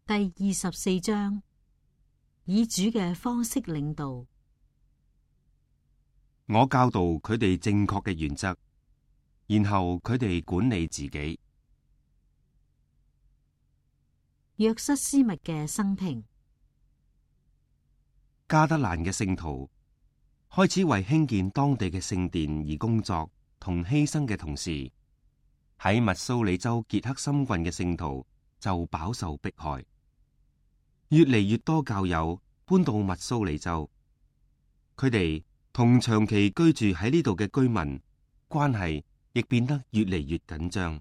第24章，以主嘅方式領導。我教導佢哋正確嘅原則，然後佢哋管理自己。約瑟斯密嘅生平。加德蘭嘅聖徒開始為興建當地嘅聖殿而工作同犧牲嘅同時，喺密蘇里州傑克森郡嘅聖徒就飽受迫害，越嚟越多教友搬到密蘇里州，佢哋同長期居住喺呢度嘅居民關係亦變得越嚟越緊張。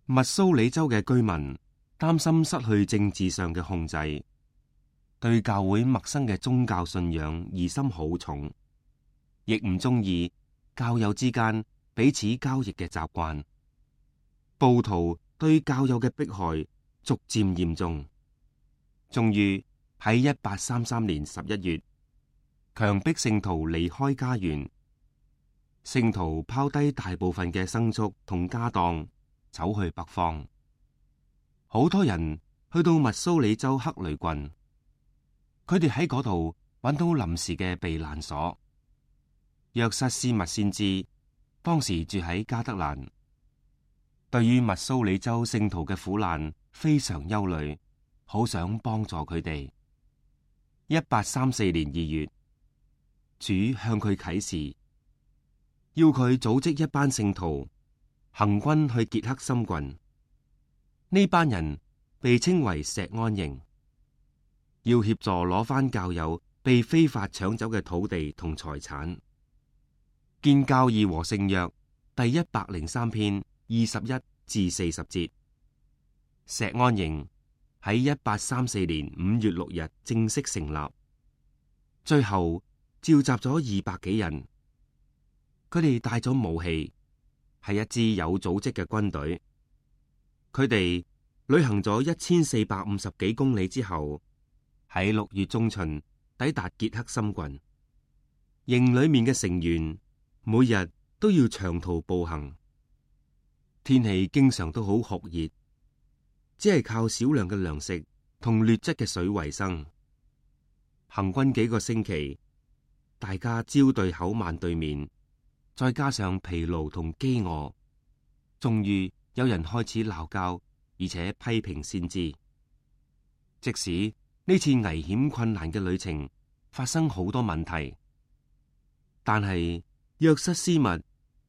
密蘇里州嘅居民擔心失去政治上嘅控制，對教會陌生嘅宗教信仰疑心好重，亦唔中意教友之間彼此交易嘅習慣。暴徒對教友嘅迫害逐漸嚴重，終於喺1833年11月，強迫聖徒離開家園。聖徒拋低大部分嘅牲畜同家當，走去北方。好多人去到密蘇里州克雷郡，佢哋喺嗰度揾到臨時嘅避難所。約瑟斯密先知當時住喺加德蘭，對於密蘇里州聖徒嘅苦難非常憂慮，好想幫助佢哋。1834年2月，主向佢啟示，要佢組織一班聖徒行軍去傑克森郡。呢班人被稱為石安營，要協助攞返教友被非法搶走嘅土地同財產。建教義和聖約第103篇21至40節。石安營喺1834年5月6日正式成立，最後召集咗200幾人，佢哋帶咗武器，係一支有組織嘅軍隊。佢哋旅行咗1450幾公里之後，喺6月中旬抵達傑克森郡。營裏面嘅成員每日都要長途步行，天氣經常都好酷熱，只係靠少量嘅糧食同劣質嘅水為生。行軍幾個星期，大家朝對口晚對面，再加上疲勞同飢餓，終於有人開始鬧交，而且批評先知。即使呢次危險困難嘅旅程發生好多問題，但係約瑟斯密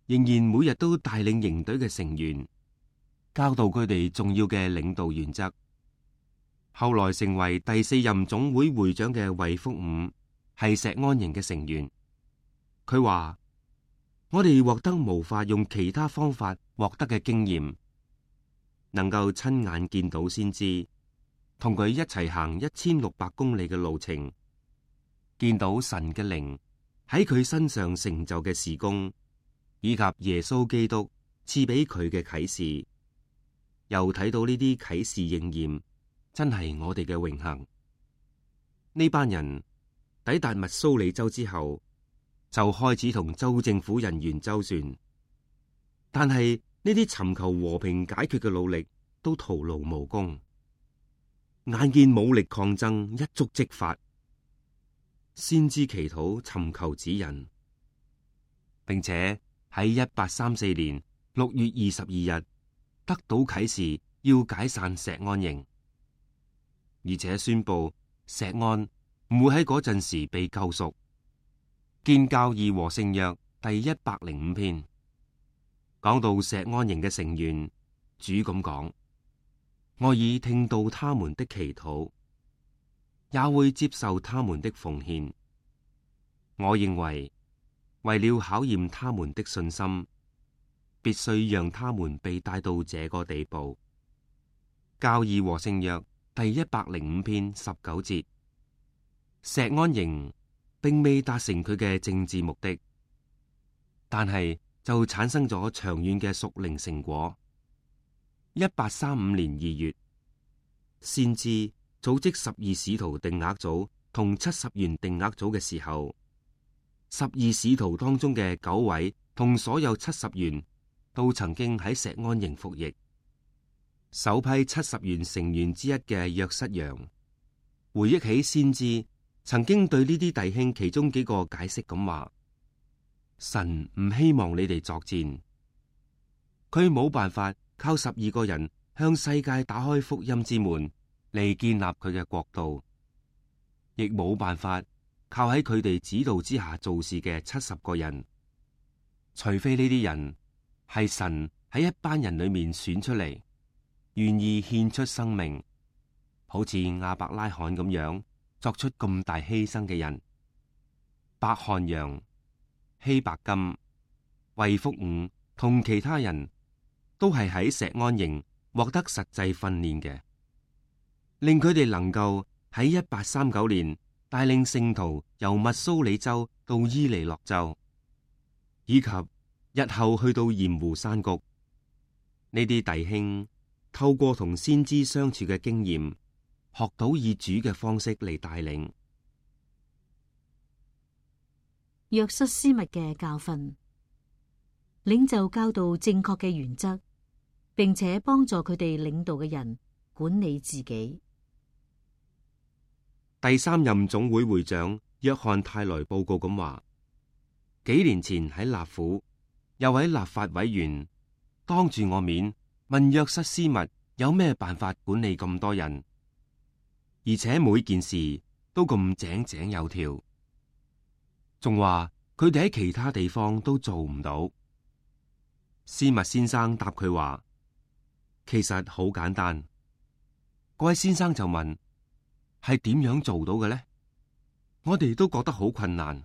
仍然每日都帶領營隊嘅成員，教導佢哋重要嘅領導原則。後來成為第4任總會會長嘅衛福伍係石安營嘅成員。佢話：我哋獲得無法用其他方法獲得嘅經驗，能夠親眼見到先知，同佢一齊行1600公里嘅路程，見到神嘅靈喺佢身上成就嘅事工，以及耶穌基督賜俾佢嘅啟示，又睇到呢啲啟示應驗，真係我哋嘅榮幸。呢班人抵達密蘇里州之後，就開始同州政府人員周旋，但係呢啲尋求和平解決嘅努力都徒勞無功。眼見武力抗爭一觸即發，先知祈禱尋求指引，並且喺1834年6月22日得到啟示，要解散石安營，而且宣布石安唔會喺嗰陣時被救贖。建教義和聖約第105篇講到石安營嘅成員，主咁講：我已聽到他們的祈禱，也會接受他們的奉獻。我認為為了考驗他們的信心，必須讓他們被帶到這個地步。教義和聖約第105篇19節。石安營並未達成佢嘅政治目的，但係就產生咗長遠嘅屬靈成果。1835年2月，先知組織12使徒定額組同70員定額組嘅時候，12使徒當中嘅9位同所有70員都曾經喺石安營服役。首批70員成員之一嘅約瑟陽回憶起先知曾經對呢啲弟兄其中幾個解釋咁話：神唔希望你哋作戰，佢冇辦法靠12個人向世界打開福音之門嚟建立佢嘅國度，亦冇辦法靠喺佢哋指導之下做事嘅70個人，除非呢啲人係神喺一班人裏面選出嚟，願意獻出生命，好似亞伯拉罕咁樣作出咁大犧牲嘅人。伯漢揚、希伯金、衛福午同其他人都係喺錫安營獲得實際訓練嘅，令佢哋能夠喺1839年帶領聖徒由密蘇里州到伊利諾州，以及日後去到鹽湖山谷。呢啲弟兄透過同先知相處嘅經驗，學到以主嘅方式嚟帶領。約瑟斯密嘅教訓，領袖教導正確嘅原則，並且幫助佢哋領導嘅人管理自己。第3任總會會長約翰泰萊報告咁話：幾年前喺納府，有位立法委員當住我面問約瑟斯密有咩辦法管理咁多人，而且每件事都咁井井有條，仲話佢哋喺其他地方都做唔到。斯密先生答佢話：其實好簡單。嗰位先生就問：係點樣做到嘅呢？我哋都覺得好困難。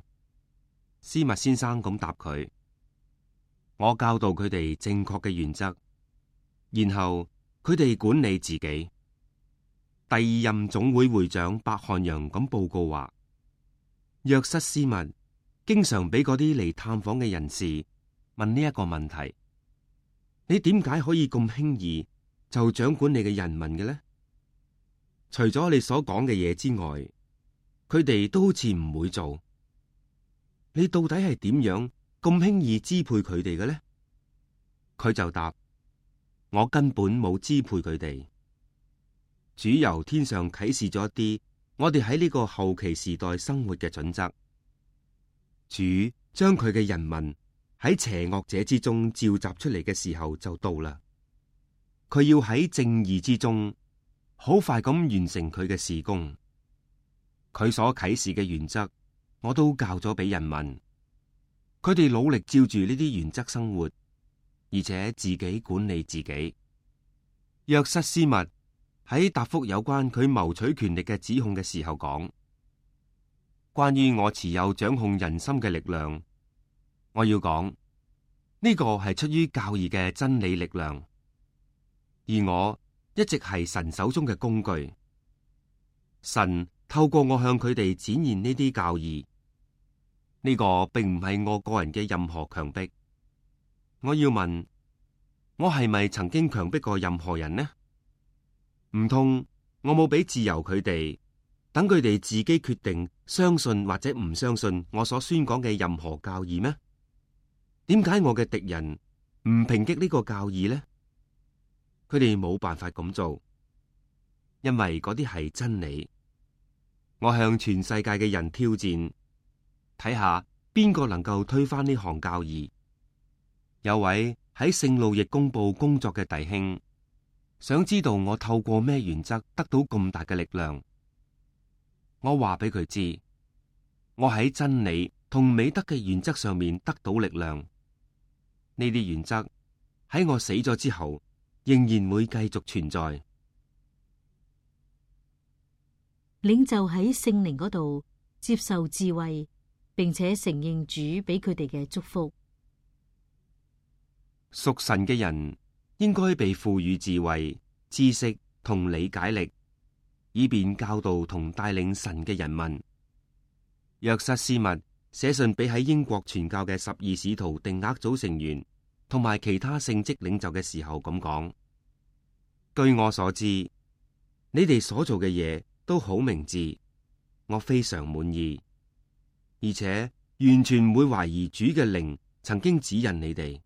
斯密先生咁答佢：我教導佢哋正確嘅原則，然後佢哋管理自己。第2任總會會長伯漢揚咁報告話：約瑟斯密經常俾嗰啲嚟探訪嘅人士問呢一個問題：你點解可以咁輕易就掌管你嘅人民嘅呢？除咗你所講嘅嘢之外，佢哋都好似唔會做。你到底係點樣咁輕易支配佢哋嘅呢？佢就答：我根本冇支配佢哋。主由天上啟示咗一啲我哋喺呢個後期時代生活嘅準則。主將佢嘅人民喺邪惡者之中召集出嚟嘅時候就到啦。佢要喺正義之中好快咁完成佢嘅事工。佢所啟示嘅原則，我都教咗俾人民。佢哋努力照住呢啲原則生活，而且自己管理自己。約瑟斯密喺答覆有關佢謀取權力嘅指控嘅時候講：關於我持有掌控人心嘅力量，我要講呢個係出於教義嘅真理力量，而我一直係神手中嘅工具。神透過我向佢哋展現呢啲教義，呢個並唔係我個人嘅任何強迫。我要問，我係咪曾經強迫過任何人呢？唔通我冇俾自由佢哋，等佢哋自己決定相信或者唔相信我所宣講嘅任何教義咩？點解我嘅敵人唔抨擊呢個教義呢？佢哋冇辦法咁做，因為嗰啲係真理。我向全世界嘅人挑戰，睇下邊個能夠推翻呢項教義。有位喺聖路易公報工作嘅弟兄，想知道我透過咩原則得到咁大嘅力量。我話俾佢知，我喺真理同美德嘅原則上面得到力量。呢啲原則喺我死咗之後，仍然會繼續存在。領袖喺聖靈嗰度接受智慧，並且承認主俾佢哋嘅祝福。屬神嘅人應該被賦予智慧、知識同理解力，以便教導同帶領神嘅人民。約瑟斯密寫信俾喺英國傳教嘅12使徒定額組成員同埋其他聖職領袖嘅時候咁講：據我所知，你哋所做嘅嘢都好明智，我非常滿意，而且完全唔會懷疑主嘅靈曾經指引你哋。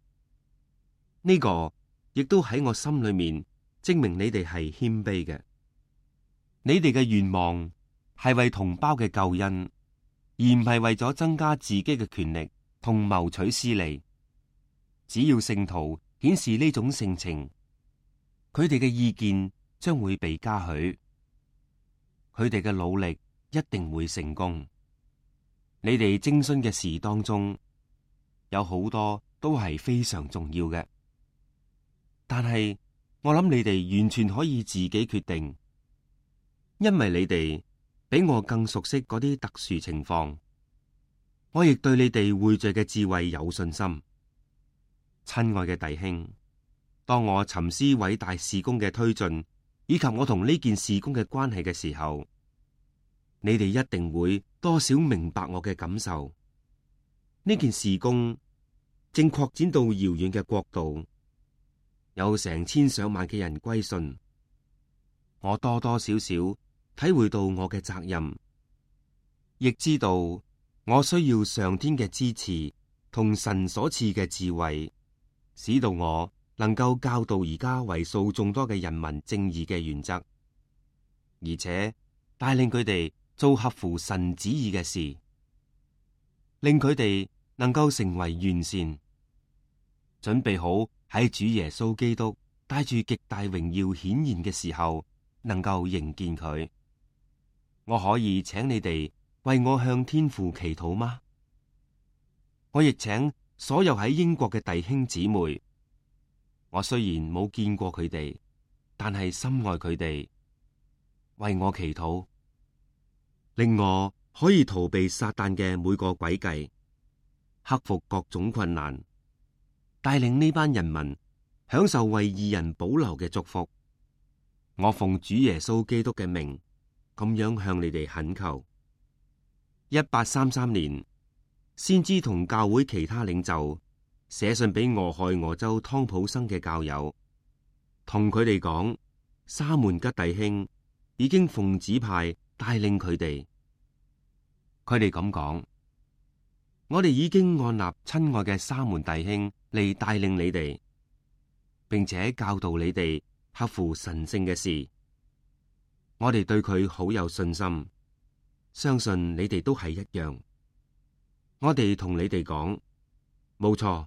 呢個亦都喺我心裏面證明你哋係謙卑嘅。你哋嘅願望係為同胞嘅救恩，而唔係為咗增加自己嘅權力同謀取私利。只要聖徒顯示呢種性情，佢哋嘅意見將會被嘉許，佢哋嘅努力一定會成功。你哋徵詢嘅事當中，有好多都係非常重要嘅，但係我諗你哋完全可以自己決定，因為你哋比我更熟悉嗰啲特殊情況。我亦對你哋匯聚嘅智慧有信心。親愛嘅弟兄，當我沉思偉大事工嘅推進，以及我同呢件事工嘅關係嘅時候，你哋一定會多少明白我嘅感受。呢件事工正擴展到遙遠嘅國度，有成千上萬嘅人歸信。我多多少少體會到我嘅責任，亦知道我需要上天嘅支持同神所賜嘅智慧，使到我能夠教導而家為數眾多嘅人民正義嘅原則，而且帶領佢哋做合乎神旨意嘅事，令佢哋能夠成為完善，準備好喺主耶穌基督帶住極大榮耀顯現嘅時候，能夠迎見佢。我可以請你哋為我向天父祈禱嗎？我亦請所有喺英國嘅弟兄姊妹，我雖然冇見過佢哋，但係深愛佢哋，為我祈禱，令我可以逃避撒旦嘅每個詭計，克服各種困難，帶領呢班人民享受為義人保留嘅祝福。我奉主耶穌基督嘅名，咁樣向你哋懇求。1833年，先知同教會其他領袖寫信俾俄亥俄州湯普生嘅教友，同佢哋講，沙門吉弟兄已經奉指派帶領佢哋。佢哋咁講：我哋已經按立親愛嘅沙門弟兄嚟帶領你哋，並且教導你哋合乎神聖嘅事。我哋對佢好有信心，相信你哋都係一樣。我哋同你哋講，冇錯，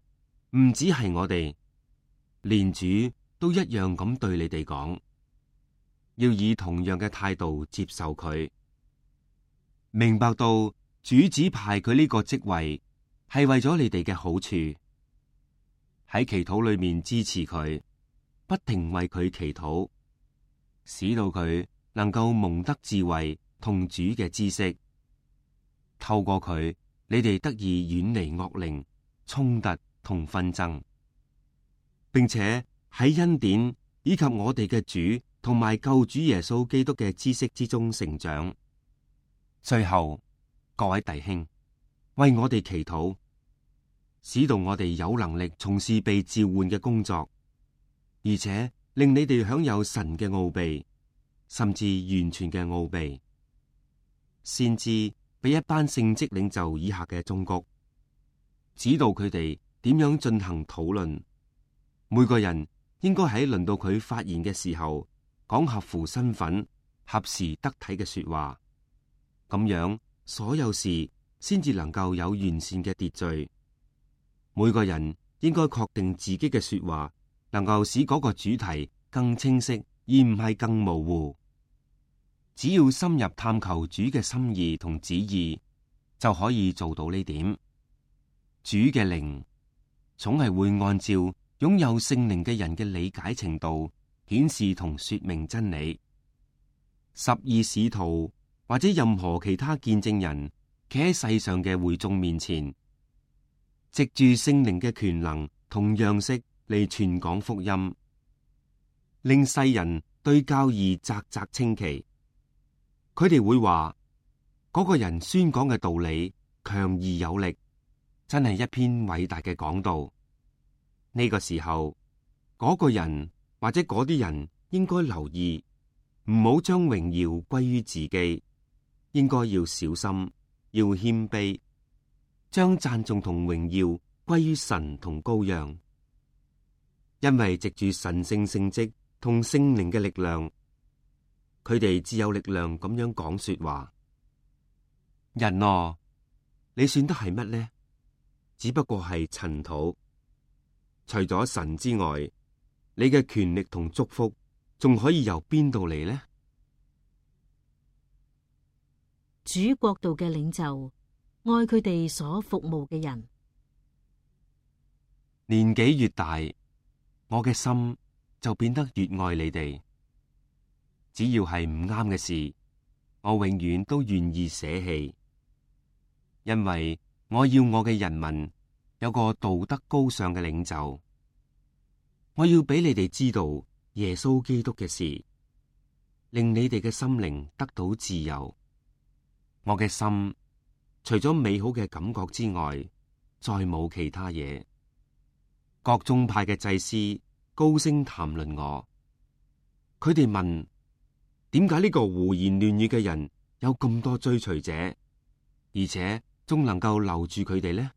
唔止係我哋，連主都一樣咁對你哋講，要以同樣嘅態度接受佢，明白到主指派佢呢個職位係為咗你哋嘅好處，喺祈禱裏面支持佢，不停為佢祈禱，使到佢能夠蒙得智慧同主嘅知識，透過佢，你哋得以遠離惡靈、衝突同紛爭，並且喺恩典以及我哋嘅主同埋救主耶穌基督嘅知識之中成長。最後，各位弟兄，為我哋祈禱，使到我哋有能力從事被召喚嘅工作，而且令你哋享有神嘅奧秘，甚至完全嘅奧秘。先知俾一班聖職領袖以下嘅忠告，指導佢哋點樣進行討論。每個人應該喺輪到佢發言嘅時候，講合乎身份、合時得體嘅說話。咁樣所有事先至能夠有完善嘅秩序。每個人應該確定自己嘅說話能夠使嗰個主題更清晰，而唔係更模糊。只要深入探求主嘅心意同旨意，就可以做到呢點。主嘅靈總係會按照擁有聖靈嘅人嘅理解程度顯示同說明真理。12使徒或者任何其他見證人企喺世上嘅會眾面前，藉住聖靈嘅權能同樣式嚟傳講福音，令世人對教義嘖嘖稱奇。佢哋會話嗰個人宣講嘅道理強而有力，真係一篇偉大嘅講道。呢個時候，嗰個人或者嗰啲人應該留意，唔好將榮耀歸於自己，應該要小心，要謙卑，將讚頌同榮耀歸於神同羔羊。因為藉住神聖聖職同聖靈嘅力量，佢哋只有力量咁樣講說話。人啊，你算得係乜呢？只不過係塵土。除咗神之外，你嘅權力同祝福仲可以由邊度嚟呢？主國度嘅領袖愛佢哋所服務嘅人。年紀越大，我嘅心就變得越愛你哋。只要係唔啱嘅事，我永遠都願意捨棄，因為我要我嘅人民有個道德高尚嘅領袖。我要俾你哋知道耶穌基督嘅事，令你哋嘅心靈得到自由。我嘅心除咗美好嘅感覺之外，再冇其他嘢。各宗派嘅祭司高聲談論我，佢哋問：點解呢個胡言亂語嘅人有咁多追隨者，而且仲能夠留住佢哋呢？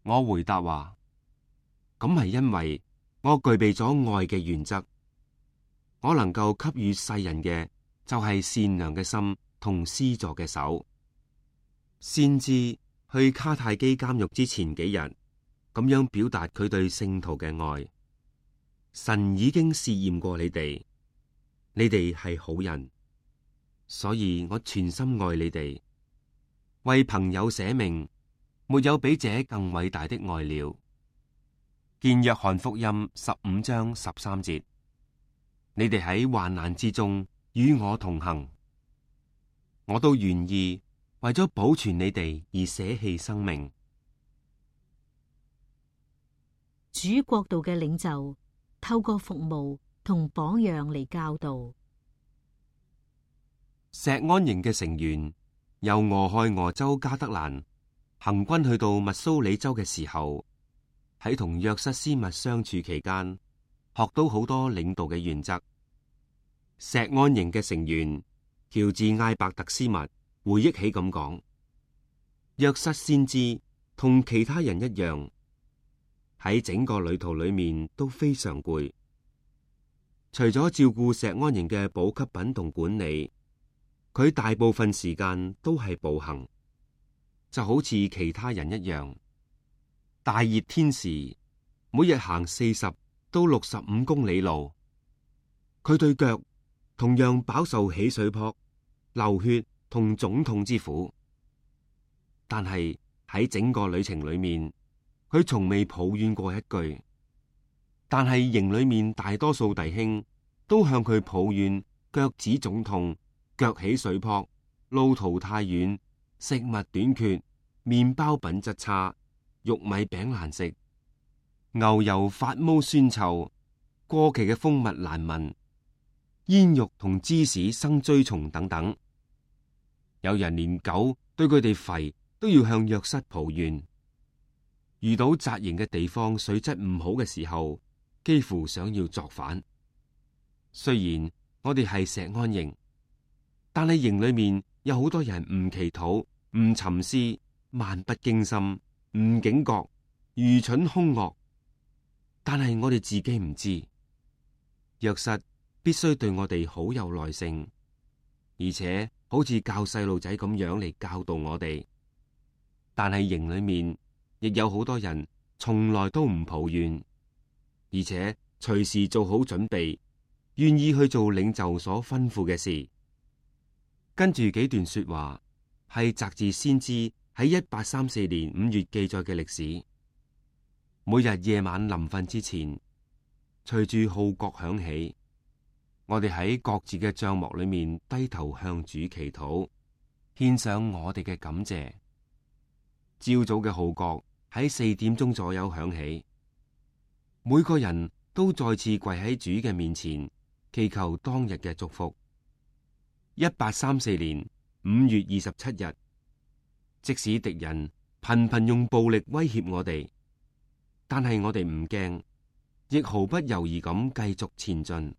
我回答話：咁係因為我具備咗愛嘅原則，我能夠給予世人嘅就係善良嘅心同施助嘅手。先知去卡太基監獄之前幾日，咁樣表達佢對聖徒嘅愛。神已經試驗過你哋，你哋係好人，所以我全心愛你哋，為朋友捨命，沒有比這更偉大的愛了。見約翰福音15章13節，你哋喺患難之中與我同行，我都願意為咗保存你哋而捨棄生命。主國度嘅領袖透過服務同榜樣嚟教導。錫安營嘅成員由俄亥俄州加德蘭行軍去到密蘇里州嘅時候，喺同約瑟斯密相處期間，學到好多領導嘅原則。錫安營嘅成員喬治艾伯特斯密回憶起咁講：約瑟先知同其他人一樣，喺整個旅途裏面都非常攰。除咗照顧錫安營嘅補給品同管理，佢大部分時間都係步行，就好似其他人一樣。大熱天時，每日行40到65公里路，佢對腳同樣飽受起水泡、流血同腫痛之苦。但係喺整個旅程裏面，佢從未抱怨過一句。但係營裏面大多數弟兄都向佢抱怨腳趾腫痛、腳起水泡、路途太遠、食物短缺、麵包品質差、玉米餅難食、牛油發毛酸臭、過期嘅蜂蜜難聞、煙肉同芝士生蛆蟲等等。有人連狗對佢哋吠都要向約瑟抱怨。遇到紮營嘅地方水質唔好嘅時候，幾乎想要作反。雖然我哋係錫安營，但係營裏面有好多人唔祈禱、唔沉思、漫不經心、唔警覺、愚蠢兇惡。但係我哋自己唔知，約瑟必須對我哋好有耐性，而且好似教細路仔咁樣嚟教導我哋。但係營裏面亦有好多人從來都唔抱怨，而且隨時做好準備，願意去做領袖所吩咐嘅事。跟住幾段說話係摘自先知喺1834年5月記載嘅歷史。每日夜晚臨瞓之前，隨住號角響起，我哋喺各自嘅帳幕裏面低頭向主祈禱，獻上我哋嘅感謝。朝早嘅號角喺4點鐘左右響起，每個人都再次跪喺主嘅面前，祈求當日嘅祝福。1834年5月27日，即使敵人頻頻用暴力威脅我哋，但係我哋唔驚，亦毫不猶豫咁繼續前進，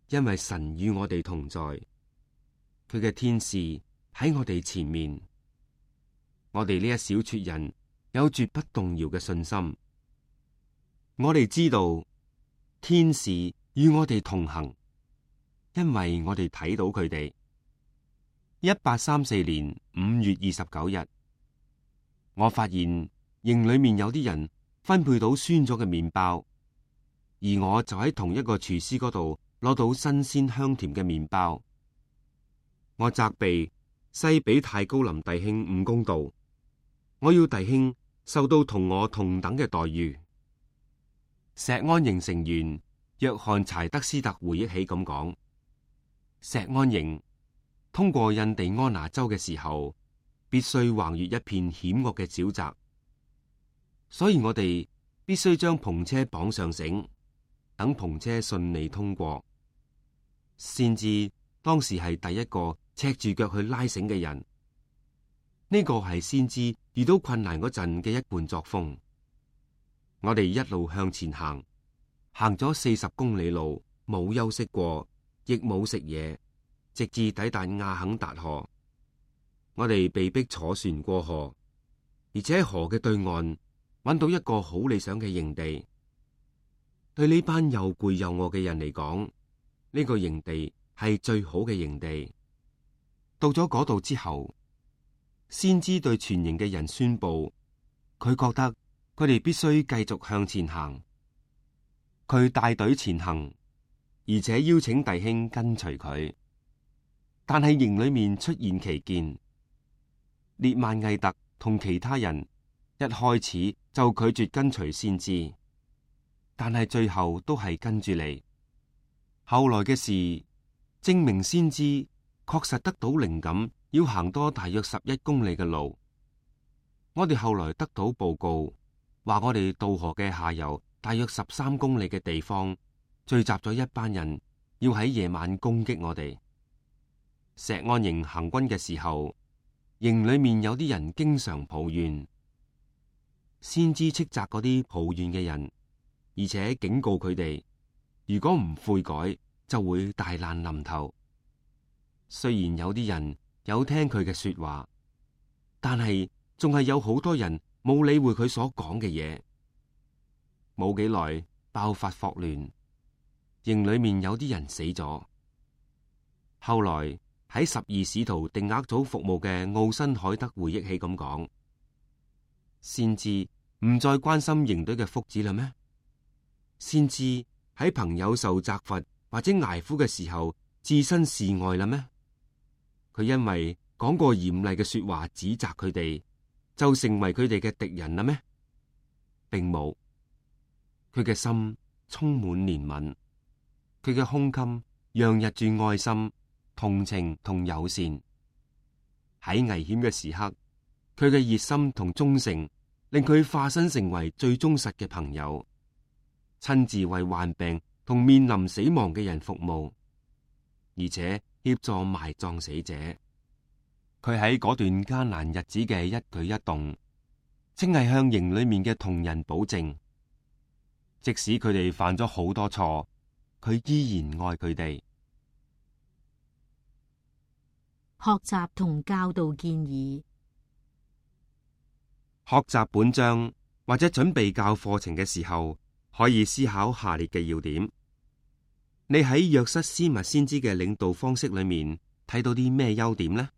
因為神與我哋同在，佢嘅天使喺我哋前面。我哋呢一小撮人有絕不動搖嘅信心。我哋知道天使與我哋同行，因為我哋睇到佢哋。1834年5月29日，我發現營裏面有啲人分配到酸咗嘅麵包，而我就喺同一個廚師嗰度攞到新鮮香甜嘅麵包。我責備西比泰高林弟兄唔公道，我要弟兄受到同我同等嘅待遇。石安營成員約翰柴德斯特回憶起咁講：石安營通過印第安納州嘅時候，必須橫越一片險惡嘅沼澤，所以我哋必須將篷車綁上繩，等篷車順利通過。先知當時係第一個赤住腳去拉繩嘅人，呢個係先知遇到困難嗰陣嘅一貫作風。我哋一路向前行，行咗40公里路，冇休息過，亦冇食嘢，直至抵達亞肯達河。我哋被迫坐船過河，而且喺河嘅對岸揾到一個好理想嘅營地。對呢班又攰又餓嘅人嚟講，呢個營地係最好嘅營地。到咗嗰度之後，先知對全營嘅人宣布，佢覺得佢哋必須繼續向前行。佢帶隊前行，而且邀請弟兄跟隨佢。但係營裏面出現奇見，列曼毅特同其他人一開始就拒絕跟隨先知，但係最後都係跟住嚟。後來嘅事證明，先知確實得到靈感，要行多大約11公里嘅路。我哋後來得到報告，話我哋渡河嘅下游大約13公里嘅地方聚集咗一班人，要喺夜晚攻擊我哋。石安營行軍嘅時候，營裏面有啲人經常抱怨，先知斥責嗰啲抱怨嘅人，而且警告佢哋，如果唔悔改，就會大難臨頭。雖然有啲人有聽佢嘅說話，但係仲係有好多人冇理會佢所講嘅嘢。冇幾耐，爆發霍亂，營裏面有啲人死咗。後來喺12使徒定額組服務嘅奧辛海德回憶起咁講：先知唔再關心營隊嘅福祉啦咩？先知喺朋友受責罰或者捱苦嘅時候置身事外啦咩？佢因為講過嚴厲嘅說話指責佢哋，就成為佢哋嘅敵人啦咩？並冇，佢嘅心充滿憐憫，佢嘅胸襟洋溢住愛心、同情同友善。喺危險嘅時刻，佢嘅熱心同忠誠令佢化身成為最忠實嘅朋友，親自為患病同面臨死亡嘅人服務，而且協助埋葬死者。佢喺嗰段艱難日子嘅一舉一動，正係向營裏面嘅同人保證，即使佢哋犯咗好多錯，佢依然愛佢哋。學習同教導建議。學習本章或者準備教課程嘅時候，可以思考下列嘅要點。你喺約瑟斯密先知嘅領導方式裏面睇到啲咩優點呢？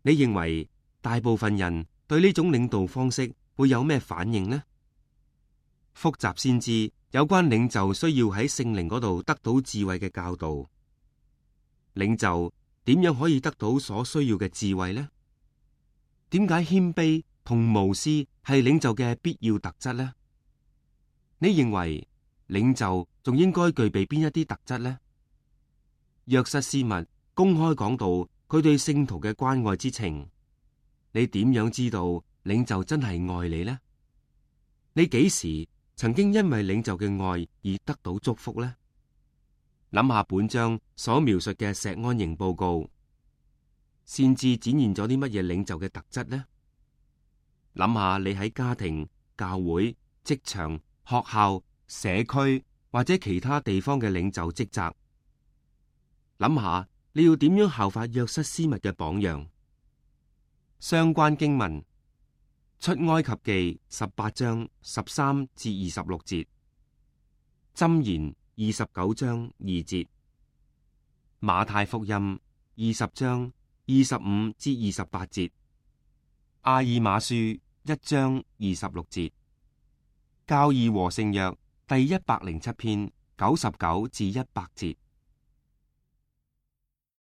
你認為大部分人對呢種領導方式會有咩反應呢？複習先知有關領袖需要喺聖靈嗰度得到智慧嘅教導。領袖點樣可以得到所需要嘅智慧呢？點解謙卑同無私係領袖嘅必要特質呢？你認為領袖仲應該具備邊一啲特質呢？約瑟斯密公開講到佢對聖徒嘅關愛之情，你點樣知道領袖真係愛你呢？你幾時曾經因為領袖嘅愛而得到祝福呢？諗下本章所描述嘅石安營報告，先至展現咗啲乜嘢領袖嘅特質呢？諗下你喺家庭、教會、職場、學校、社區或者其他地方嘅領袖職責，諗下你要點樣效法約瑟斯密嘅榜樣。相關經文：出埃及記18章13至26節，箴言29章2節，馬太福音20章25至28節，阿爾馬書1章26節，教義和聖約第107篇99至100節。